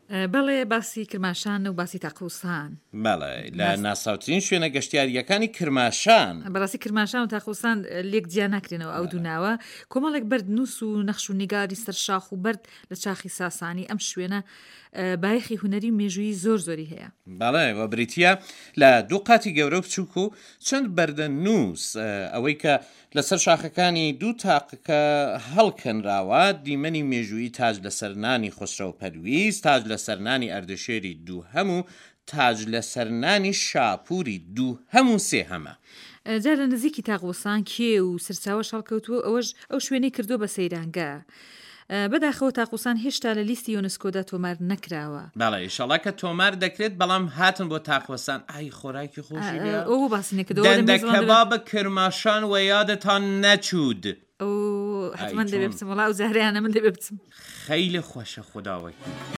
بەڵێ باسی کرماشان و باسی تاقوسان. بەڵێ لە ناسراوترین شوێنە گەشتیارییەکانی کرماشان. بەڕاستی کرماشان و تاقوسان لێک جیا ناکرێنەوە ئەو دوو ناوە کۆمەڵێک بەرد نووس و نەخش و نیگاری سەر شاخ و بەرد لە چاخی ساسانی ئەم شوێنە بایەخی هونەری و مێژوویی زۆر زۆری هەیە. بەڵێ و بریتییە لە دوو قاتی گەورە و بچووک و چەند بەردە نووس ئەوەی کە لەسەر شاخەکانی دوو تاقەکە هەڵکەنراوە، دیمەنی مێژوویی تاج لەسەر نانی خوسرەو پەرویز، تاج لەسەر نانی ئەردەشێری دووهەم و تاج لەسەر نانی شاپووری دووهەم و سێهەمە. جا لە نزیکی تاقوسان کێو و سەرچاوەش هەڵکەوتووە و ئەوەش ئەو شوێنەی کردووە بە سەیرانگە. بەداخەوە تاقوسان هێشتا لە لیستی یۆنسکۆدا تۆمار نەکراوە. بەڵێ ئیشەڵا کە تۆمار دەکرێت بەڵام هاتن بۆ تاقوەسان ئای خۆراکی خۆشی لێ ئەو بۆ باسی نەکردەوە دەندە کەباب کرماشان وە یادتان نەچوود. ئەو حەتمەن دەبێ بچم وەڵا ئەو جارەیانە من دەبێ بچم. خەیلی خۆشە خوداوەکی.